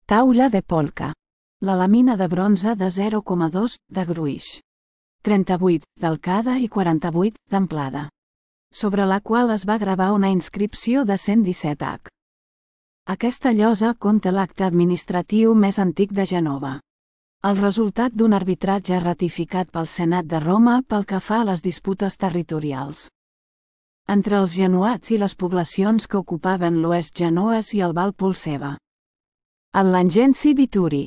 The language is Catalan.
Taula de polca. La làmina de bronze de 0,2 de gruix. 38 d'alcada i 48 d'amplada. Sobre la qual es va gravar una inscripció de 117 H. Aquesta llosa conta l'acte administratiu més antic de Gènova. El resultat d'un arbitratge ratificat pel Senat de Roma pel que fa a les disputes territorials entre els genoats i les poblacions que ocupaven l'oest genoès i el Val Polseva. El Langenci Vituri.